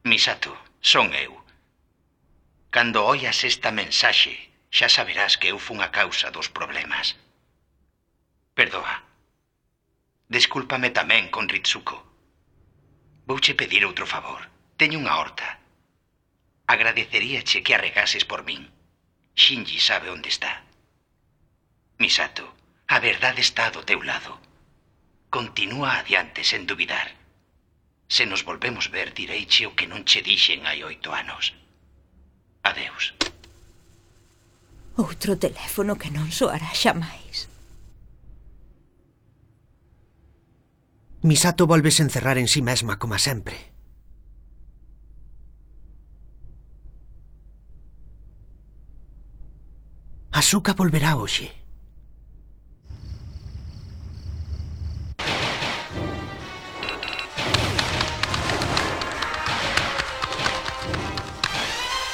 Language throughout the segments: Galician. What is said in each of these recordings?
Misato, son eu. Cando oias esta mensaxe, xa saberás que eu fun a causa dos problemas. Perdoa. Descúlpame tamén con Ritsuko. Vouche pedir outro favor. Teño unha horta. Agradeceríache que a regases por min. Shinji sabe onde está. Misato, a verdade está do teu lado. Continúa adiante sen dubidar. Se nos volvemos ver, direiche o que non che dixen hai 8 anos. Adeus. Outro teléfono que non soará xamais. Misato volves encerrar en si mesma como sempre. Asuka volverá hoxe.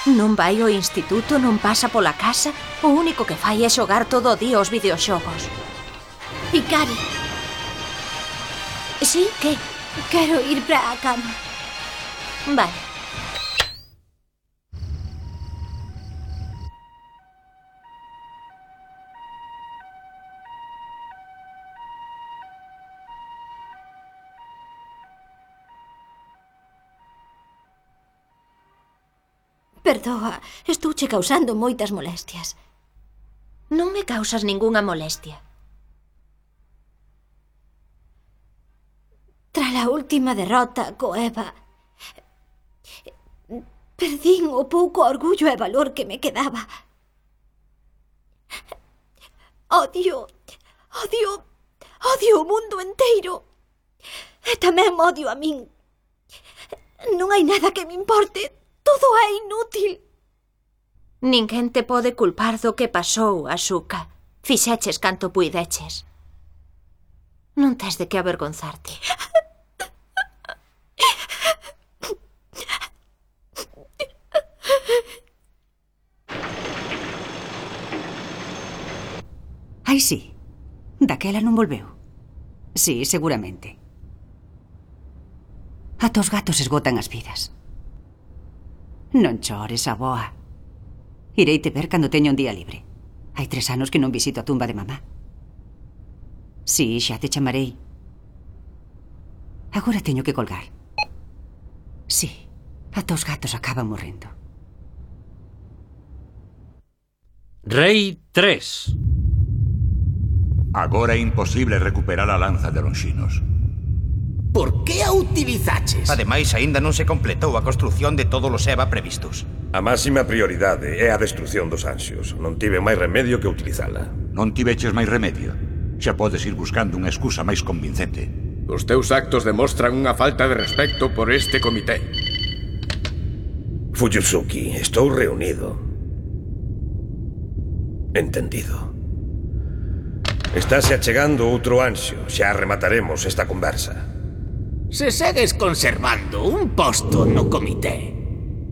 Non vai ao instituto, non pasa pola casa. O único que fai é xogar todo o día aos videoxogos. Hikari. Sí, que? Quero ir para a cama. Vale. Perdoa, estouche causando moitas molestias. Non me causas ningunha molestia. Tras a última derrota co Eva, perdín o pouco orgullo e valor que me quedaba. Odio o mundo enteiro. E tamén odio a min. Non hai nada que me importe. Todo é inútil. Ninguén te pode culpar do que pasou, Asuka. Fixeches canto puideches. Non tes de que avergonzarte. Ai, sí. Daquela non volveu. Sí, seguramente. Ata os gatos esgotan as vidas. Non chores, aboa. Ireite ver cando teño un día libre. Hai 3 anos que non visito a tumba de mamá. Sí, xa te chamarei. Agora teño que colgar. Sí, ata os gatos acaban morrendo. Rei 3. Agora é imposible recuperar a lanza de Lonxinos. Por que a utilizaches? Ademais, aínda non se completou a construción de todos os EVA previstos. A máxima prioridade é a destrucción dos ansios. Non tive máis remedio que utilizala. Non tiveches máis remedio. Xa podes ir buscando unha excusa máis convincente. Os teus actos demostran unha falta de respecto por este comité. Fujitsuki, estou reunido. Entendido. Estáse achegando outro ansio. Xa remataremos esta conversa. Se segues conservando un posto no comité.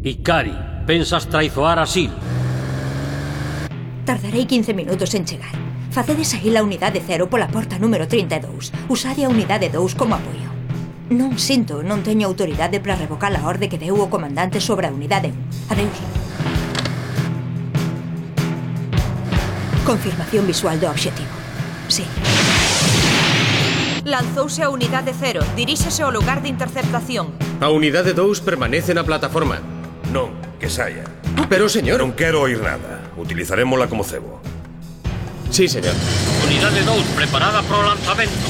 Hikari, pensas traizoar a Sil? Tardarei 15 minutos en chegar. Facedes saír a unidade 0 pola porta número 32. Usade a unidade 2 como apoio. Non sinto, non teño autoridade para revocar a orde que deu o comandante sobre a unidade 1. Adeus. Confirmación visual do obxectivo. Sí. Lanzouse a unidade 0. Diríxese ao lugar de interceptación. A unidade 2 permanece na plataforma. Non, que saia. Pero, señor... Non quero oír nada. Utilizarémola como cebo. Sí, señor. Unidade 2, preparada para o lanzamento.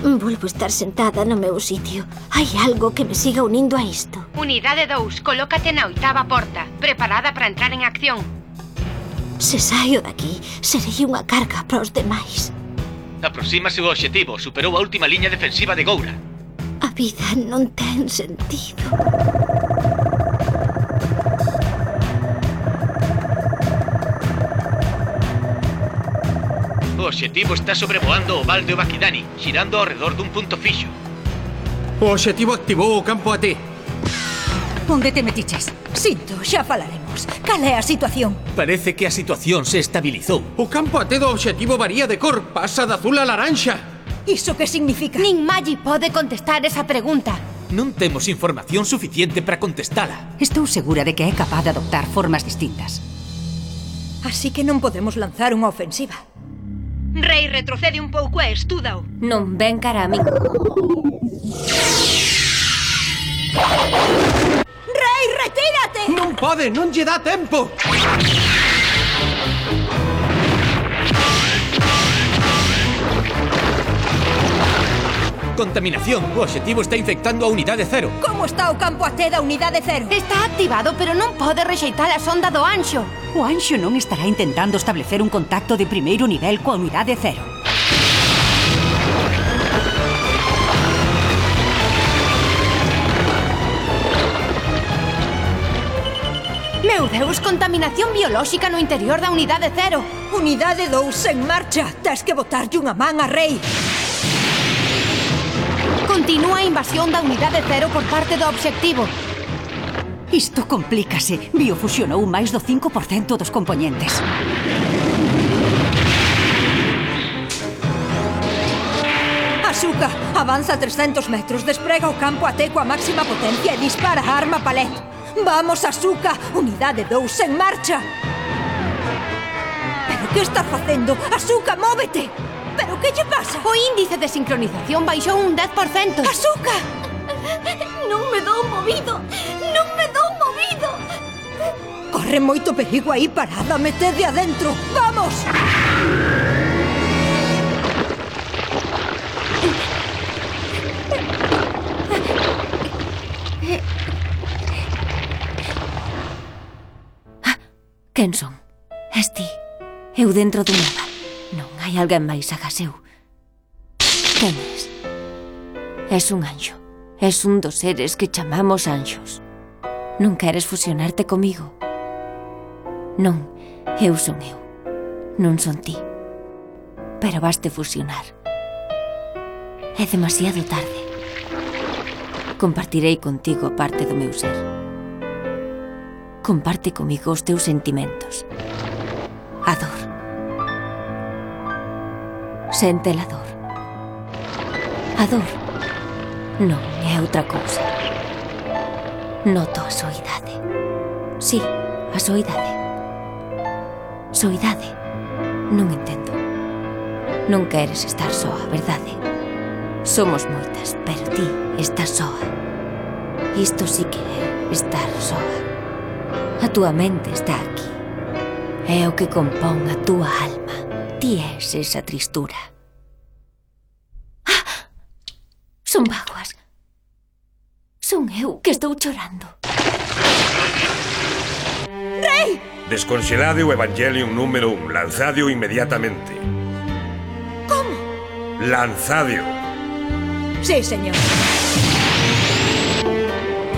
Volvo a estar sentada no meu sitio. Hai algo que me siga unindo a isto. Unidade 2, colócate na 8ª porta, preparada para entrar en acción. Se saio daqui, serei unha carga para os demais. Aproxímase o obxectivo, superou a última liña defensiva de Goura. A vida non ten sentido. O obxectivo está sobrevoando o val de Obakidani, xirando ao redor dun punto fixo. O obxectivo activou o campo AT. Onde te metiches? Sinto, xa falaremos. Cal é a situación? Parece que a situación se estabilizou. O campo AT do obxectivo varía de cor, pasa de azul a laranxa. Iso que significa? Nin Magi pode contestar esa pregunta. Non temos información suficiente para contestala. Estou segura de que é capaz de adoptar formas distintas. Así que non podemos lanzar unha ofensiva. Rei, retrocede un pouco e estúdao. Non ven cara a min. Rei, retírate! Non pode, non lle dá tempo. Contaminación. O obxectivo está infectando a unidade 0. Como está o campo AT da unidade 0? Está activado, pero non pode rexeitar a sonda do Anxo. O Anxo non estará intentando establecer un contacto de primeiro nivel coa unidade 0. Meu Deus, contaminación biolóxica no interior da unidade 0. Unidade 2 en marcha. Tes que botarlle unha man a Rei. Continúa a invasión da unidade 0 por parte do obxectivo. Isto complícase. Biofusionou máis do 5% dos componentes. Asuka, avanza 300 metros, desprega o campo AT coa máxima potencia e dispara a arma palet. Vamos, Asuka, unidade 2 en marcha. Pero que estás facendo? Asuka, móvete. Pero que lle pasa? O índice de sincronización baixou un 10%. Asuka! Non me dou movido! Non me dou movido! Corre moito perigo aí parada, metede adentro. Vamos! Quen son? Es ti. Eu dentro do nada. Non hai alguén máis agás eu. Quen és? Es un anxo. Es un dos seres que chamamos anxos. Non queres fusionarte comigo? Non, eu son eu. Non son ti. Pero vaste fusionar. É demasiado tarde. Compartirei contigo parte do meu ser. Comparte comigo os teus sentimentos. A dor. Sente a dor. A dor non é outra cousa. Noto a soidade. Sí, a soidade. Soidade. Non entendo. Non queres estar soa, verdade? Somos moitas, pero ti estás soa. Isto sí que é estar soa. A túa mente está aquí. É o que compón a túa alma. Ti és esa tristura. Ah! Son vaguas. Son eu que estou chorando. Rei! Desconxelade o Evangelium número 1. Lanzadio inmediatamente. Como? Lanzadio. Sí, señor.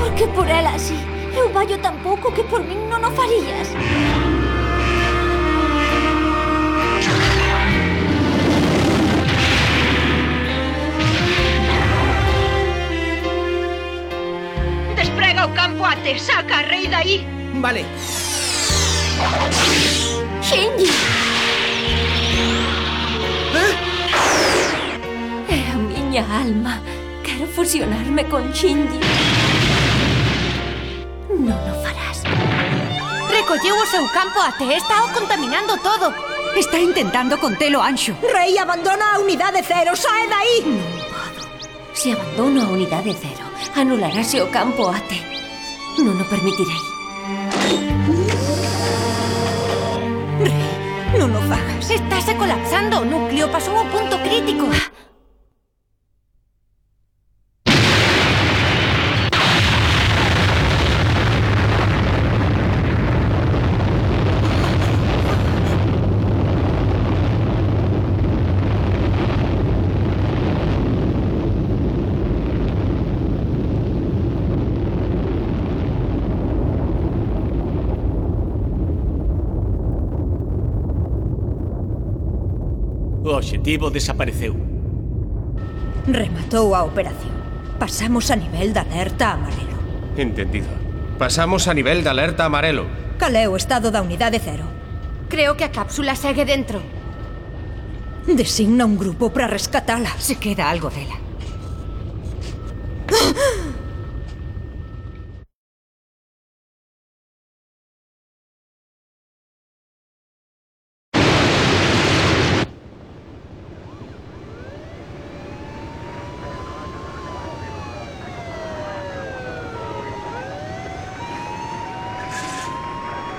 Por que por ela así? Eu vallo tan pouco que por min non o farías. Desprega o campo AT, saca a Rei dai. Vale. Shinji! É a miña alma. Quero fusionarme con Shinji. Non o farás. Recolleu o seu campo AT, está o contaminando todo. Está intentando contelo Anxo. Rei, abandona a unidade 0, sae dai. Non podo. Se abandono a unidade 0, anularase o campo AT. Non o permitirei. Rei, non o fagas. Estáse colapsando o núcleo, pasou o punto crítico. O obxectivo desapareceu. Rematou a operación. Pasamos a nivel de alerta amarelo. Entendido. Pasamos a nivel de alerta amarelo. Cal é o estado da unidade 0? Creo que a cápsula segue dentro. Designa un grupo para rescatala. Se queda algo dela.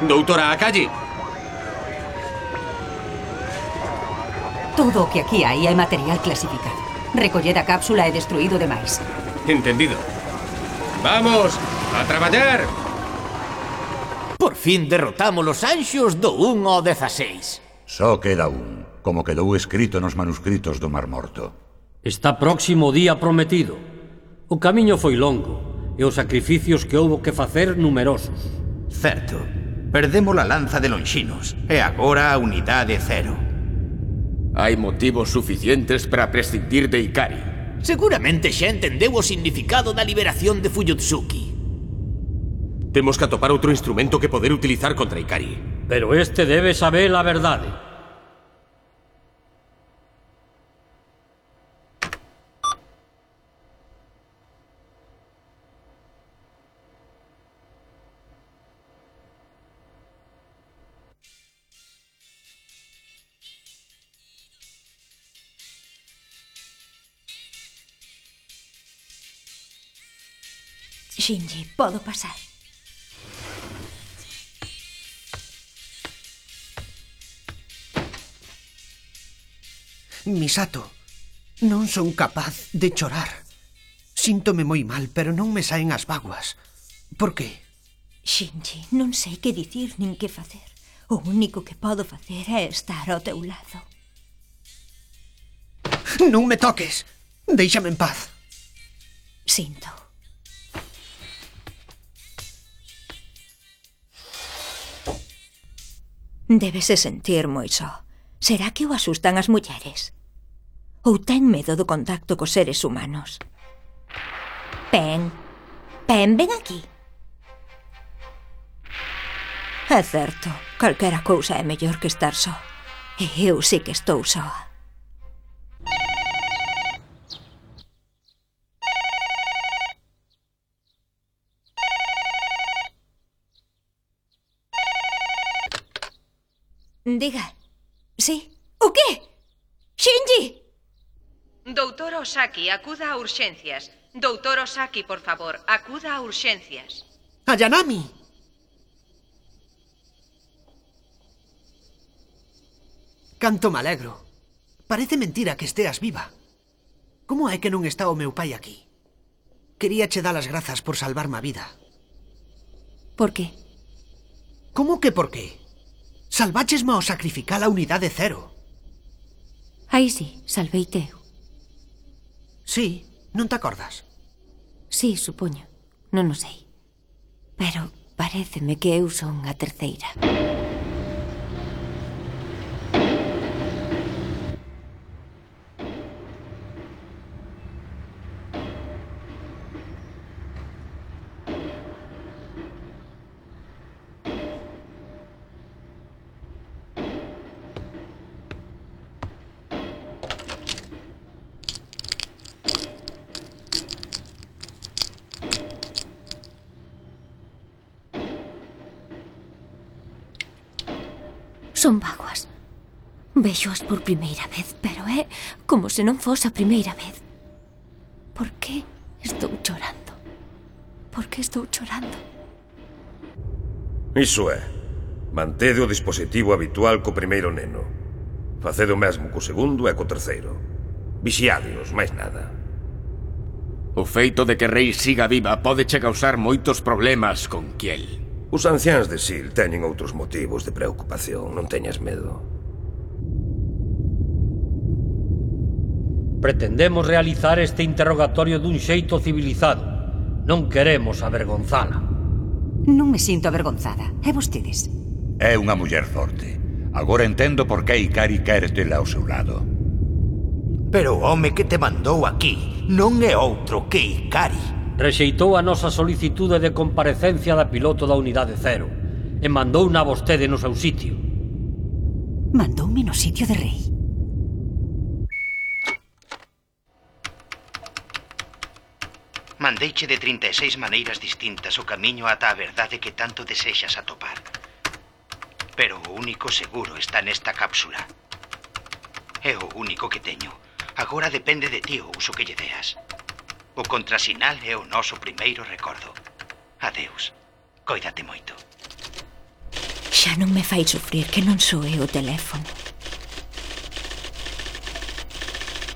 Doutora Akaji. Todo o que aquí hai é material clasificado. Recolled a cápsula e destruído demais. Entendido. Vamos, a traballar! Por fin derrotamos os anxos do 1 ao 16. Só queda un, como quedou escrito nos manuscritos do Mar Morto. Está próximo o día prometido. O camiño foi longo e os sacrificios que houbo que facer numerosos. Certo. Perdemos a lanza de Lonxinos e agora a unidade 0. Hai motivos suficientes para prescindir de Ikari. Seguramente xa entendeu o significado da liberación de Fuyutsuki. Temos que atopar outro instrumento que poder utilizar contra Ikari. Pero este debe saber a verdade. Shinji, podo pasar. Misato, non son capaz de chorar. Síntome moi mal, pero non me saen as bágoas. Por que? Shinji, non sei que dicir nin que facer. O único que podo facer é estar ao teu lado. Non me toques! Déixame en paz. Sinto. Débese sentir moi só. Será que o asustan as mulleres? Ou ten medo do contacto cos seres humanos? Pen, ven aquí. É certo, calquera cousa é mellor que estar só. E eu sí que estou soa. Diga. Sí. O qué? Shinji! Doutor Osaki, acuda a urxencias. Doutor Osaki, por favor, acuda a urxencias. Ayanami! Canto me alegro. Parece mentira que esteas viva. Como é que non está o meu pai aquí? Quería che dar as grazas por salvarme a vida. Por qué? Como que por qué? Salváchesme ao sacrificar a unidade 0. Aí sí, salveite eu. Sí, non te acordas? Sí, supoño. Non o sei. Pero paréceme que eu son a terceira. Son vaguas. Véxoas por primeira vez, pero é como se non fose a primeira vez. Por que estou chorando? Por que estou chorando? Iso é. Mantede o dispositivo habitual co primeiro neno. Facede o mesmo co segundo e co terceiro. Vixiádeos, máis nada. O feito de que Rei siga viva pode che causar moitos problemas con Kiel. Os anciáns de Sil teñen outros motivos de preocupación, non teñas medo. Pretendemos realizar este interrogatorio dun xeito civilizado. Non queremos avergonzala. Non me sinto avergonzada. E vostedes? É unha muller forte. Agora entendo por que Ikari quere tela ao seu lado. Pero o home que te mandou aquí non é outro que Ikari. Rexeitou a nosa solicitude de comparecencia da piloto da unidade 0 e mandouna a vostede no seu sitio. Mandoume no sitio de Rei. Mandeiche de 36 maneiras distintas o camiño ata a verdade que tanto desexas atopar. Pero o único seguro está nesta cápsula. É o único que teño. Agora depende de ti o uso que lle deas. O contrasinal é o noso primeiro recordo. Adeus. Cóidate moito. Xa non me fai sufrir que non soe o teléfono.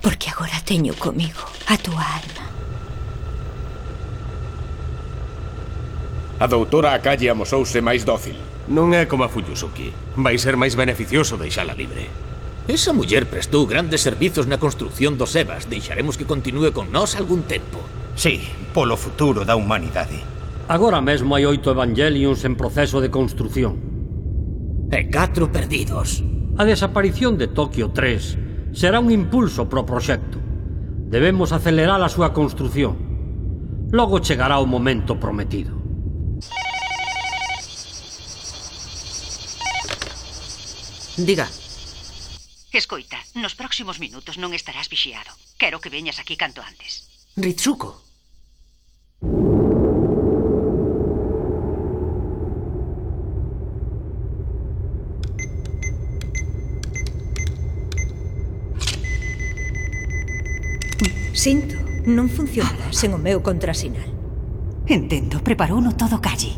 Porque agora teño comigo a túa alma. A doutora Akalle amosouse máis dócil. Non é como a Fuyusuki. Vai ser máis beneficioso deixala libre. Esa muller prestou grandes servizos na construción dos Evas. Deixaremos que continúe con nós algún tempo. Sí, polo futuro da humanidade. Agora mesmo hai 8 Evangelions en proceso de construción. E 4 perdidos. A desaparición de Tokio 3 será un impulso pro proxecto. Debemos acelerar a súa construción. Logo chegará o momento prometido. Diga. Escoita, nos próximos minutos non estarás vixiado. Quero que veñas aquí canto antes. Ritsuko. Sinto, non funcionará sen o meu contrasinal. Entendo, preparouno todo Calle.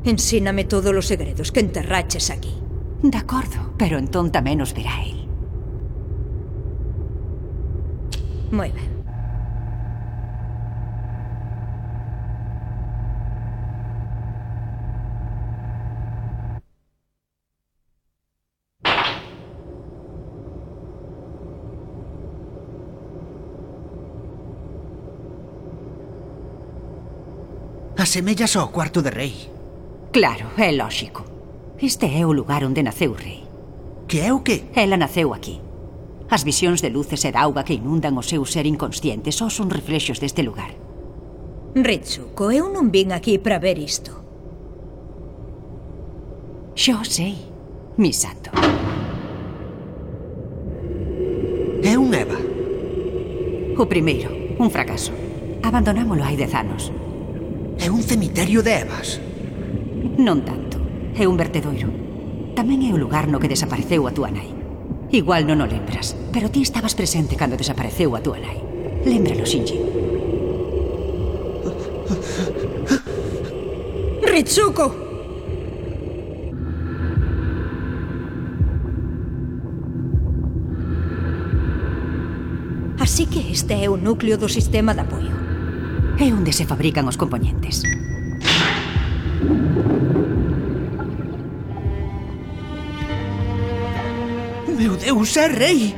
Ensíname todos os segredos que enterraches aquí. De acordo, pero entón tamén os verá el. Moi ben. Asemellas ao cuarto de rei. Claro, é lóxico. Este é o lugar onde naceu o rei. Que é o que? Ela naceu aquí. As visións de luces e de auga que inundan o seu ser inconsciente só son reflexos deste lugar. Ritsuko, eu non vin aquí para ver isto. Xo sei, Misato. É un Eva. O primeiro, un fracaso. Abandonámolo hai 10 anos. É un cemiterio de Evas. Non tanto. É un vertedoiro. Tamén é o lugar no que desapareceu a túa nai. Igual non o lembras, pero ti estabas presente cando desapareceu a túa nai. Lémbralo, Shinji. Ritsuko! Así que este é o núcleo do sistema de apoio. É onde se fabrican os componentes. Meu Deus, é rei!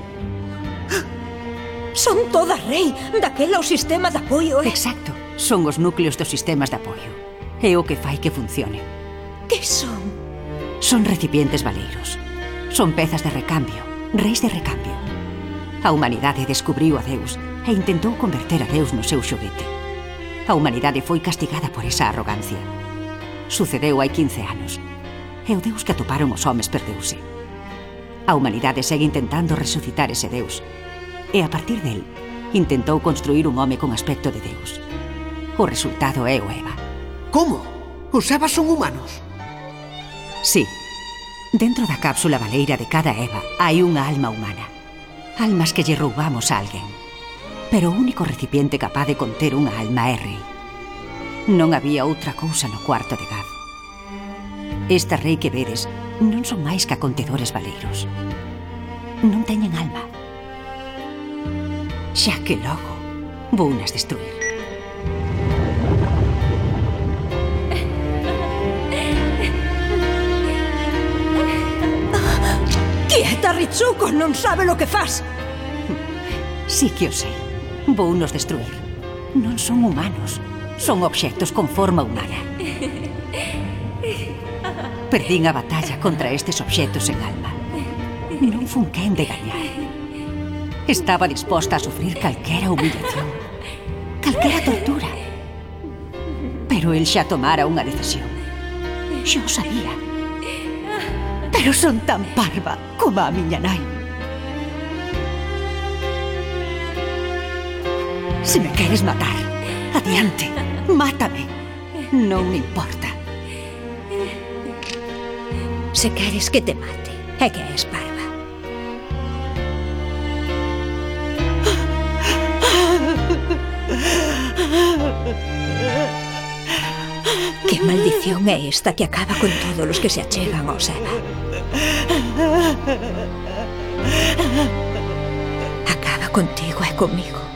Son todas rei, daquela o sistema de apoio, Exacto, son os núcleos dos sistemas de apoio. É o que fai que funcione. Que son? Son recipientes baleiros. Son pezas de recambio, reis de recambio. A humanidade descubriu a Deus e intentou converter a Deus no seu xoguete. A humanidade foi castigada por esa arrogancia. Sucedeu hai 15 anos. E o Deus que atoparon os homes perdeuse. A humanidade segue intentando resucitar ese Deus. E a partir del, intentou construir un home con aspecto de Deus. O resultado é o Eva. Como? Os Evas son humanos? Sí. Dentro da cápsula baleira de cada Eva hai unha alma humana. Almas que lle roubamos a alguén. Pero o único recipiente capaz de conter unha alma é rei. Non había outra cousa no cuarto de Gaz. Esta rei que vedes non son máis que acontedores baleiros. Non teñen alma. Xa que logo vounas destruir. Quieta, Ritsuko, non sabe lo que faz. Sí que o sei. Vounos destruir. Non son humanos. Son obxectos con forma humana. Perdín a batalla contra estes obxectos en alma. Non fun quen de gañar. Estaba disposta a sufrir calquera humillación, calquera tortura. Pero el xa tomara unha decisión. Xa o sabía. Pero son tan parva como a miña nai. Se me queres matar, adiante, mátame. Non me importa. Se queres que te mate, é que és parva. Que maldición é esta que acaba con todos os que se achegan ao Seba? Acaba contigo e comigo.